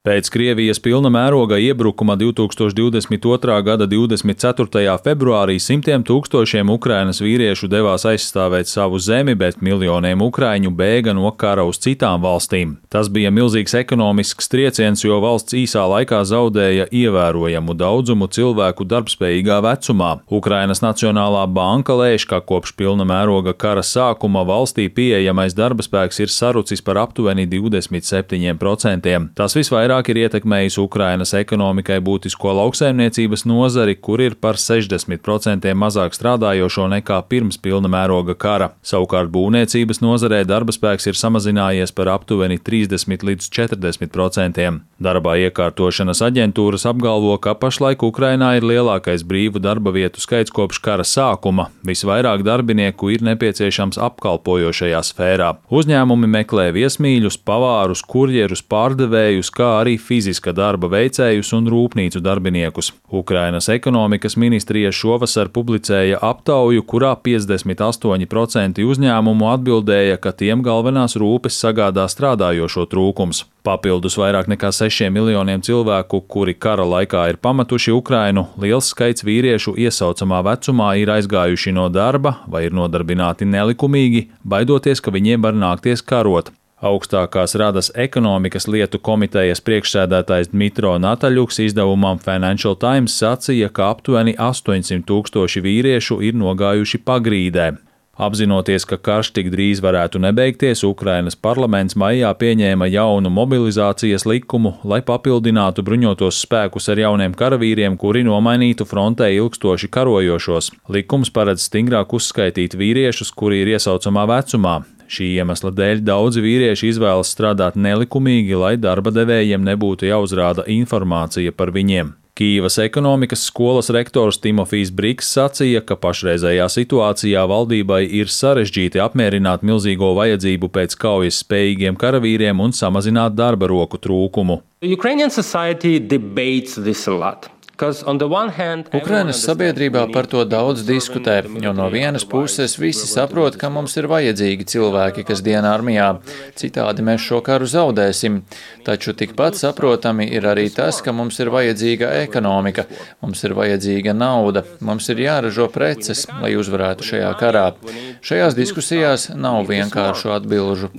Pēc Krievijas pilna mēroga iebrukuma 2022. gada 24. februārī simtiem tūkstošiem Ukrainas vīriešu devās aizstāvēt savu zemi, bet miljoniem ukraiņu bēga no kara uz citām valstīm. Tas bija milzīgs ekonomisks trieciens, jo valsts īsā laikā zaudēja ievērojamu daudzumu cilvēku darbspējīgā vecumā. Ukrainas Nacionālā banka lēš, ka kopš pilna mēroga kara sākuma valstī pieejamais darbaspēks ir sarucis par aptuveni 27%. Tas visvairāk ir ietekmējis Ukrainas ekonomikai būtisko lauksaimniecības nozari, kur ir par 60% mazāk strādājošo nekā pirms pilna mēroga kara. Savukārt būvniecības nozarē darbaspēks ir samazinājies par aptuveni 30 līdz 40%. Darbā iekārtošanas aģentūras apgalvo, ka pašlaik Ukrainā ir lielākais brīvu darba vietu skaits kopš kara sākuma. Visvairāk darbinieku ir nepieciešams apkalpojošajā sfērā. Uzņēmumi meklē viesmīļus, pavārus, kurjerus, pārdevējus, kā arī fiziska darba veicējus un rūpnīcu darbiniekus. Ukrainas ekonomikas ministrija šovasar publicēja aptauju, kurā 58% uzņēmumu atbildēja, ka tiem galvenās rūpes sagādā strādājošo trūkums. Papildus vairāk nekā 6 miljoniem cilvēku, kuri kara laikā ir pametuši Ukrainu, liels skaits vīriešu iesaucamā vecumā ir aizgājuši no darba vai ir nodarbināti nelikumīgi, baidoties, ka viņiem var nākties karot. Augstākās radas ekonomikas lietu komitejas priekšsēdētājs Dmitro Nataļuks izdevumam Financial Times sacīja, ka aptuveni 800 tūkstoši vīriešu ir nogājuši pagrīdē. Apzinoties, ka karš tik drīz varētu nebeigties, Ukrainas parlaments maijā pieņēma jaunu mobilizācijas likumu, lai papildinātu bruņotos spēkus ar jauniem karavīriem, kuri nomainītu frontē ilgstoši karojošos. Likums paredz stingrāk uzskaitīt vīriešus, kuri ir iesaucamā vecumā. Šī iemesla dēļ daudzi vīrieši izvēlas strādāt nelikumīgi, lai darba devējiem nebūtu jāuzrāda informācija par viņiem. Kīivas ekonomikas skolas rektors Timofijs Briks sacīja, ka pašreizējā situācijā valdībai ir sarežģīti apmierināt milzīgo vajadzību pēc kaujas spējīgiem karavīriem un samazināt darba roku trūkumu. Ukrainas sabiedrībā par to daudz diskutē, jo no vienas puses visi saprot, ka mums ir vajadzīgi cilvēki, kas dienā armijā, citādi mēs šo karu zaudēsim. Taču tikpat saprotami ir arī tas, ka mums ir vajadzīga ekonomika, mums ir vajadzīga nauda, mums ir jāražo preces, lai uzvarētu šajā karā. Šajās diskusijās nav vienkāršu atbilžu.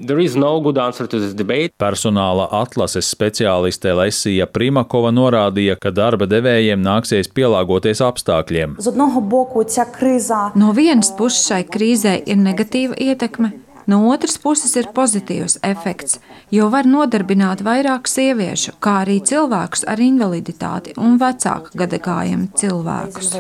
Personāla atlases speciāliste Lesija Primakova norādīja, ka darba devējiem nāksies pielāgoties apstākļiem. No vienas puses šai krīzē ir negatīva ietekme, no otras puses ir pozitīvs efekts, jo var nodarbināt vairāk sieviešu, kā arī cilvēkus ar invaliditāti un vecāku gadagājumu cilvēkus.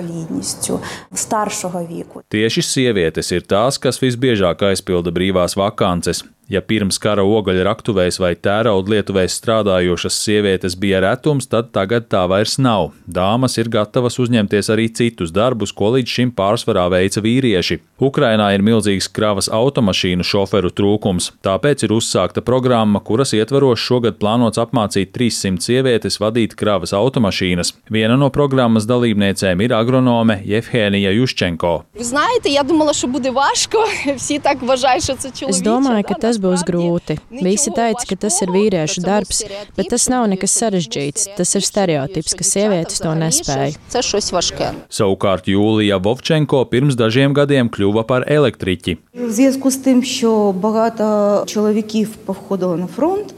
Tieši sievietes ir tās, kas visbiežāk aizpilda brīvās vakances. Ja pirms kara ogaļraktuvēs vai tēraudlietuvēs strādājošas sievietes bija retums, tad tagad tā vairs nav. Dāmas ir gatavas uzņemties arī citus darbus, ko līdz šim pārsvarā veica vīrieši. Ukrainā ir milzīgs kravas automašīnu šoferu trūkums, tāpēc ir uzsākta programma, kuras ietvaros šogad plānots apmācīt 300 sievietes vadīt kravas automašīnas. Viena no programmas dalībniecēm ir agronome Jevhenija Juščenko. Es domāju, ka tas būs grūti. Visi teica, ka tas ir vīriešu darbs, bet tas nav nekas sarežģīts. Tas ir stereotips, ka sievietes to nespēja. Savukārt Jūlija Vovčenko pirms dažiem gadiem kļuva par elektriķi.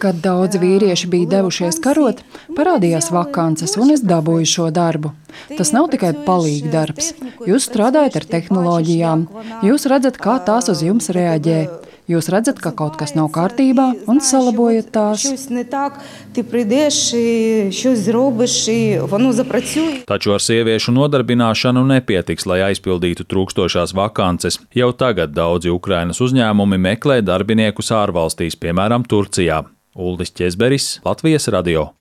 Kad daudz vīrieši bija devušies karot, parādījās vakances un es dabūju šo darbu. Tas nav tikai palīga darbs. Jūs strādājat ar tehnoloģijām, jūs redzat, kā tās uz jums reaģē. Jūs redzat, ka kaut kas nav kārtībā un salabojat tās. Taču ar sieviešu nodarbināšanu nepietiks, lai aizpildītu trūkstošās vakances. Jau tagad daudzi Ukrainas uzņēmumi meklē darbiniekus ārvalstīs, piemēram, Turcijā. Uldis Ķezberis, Latvijas radio.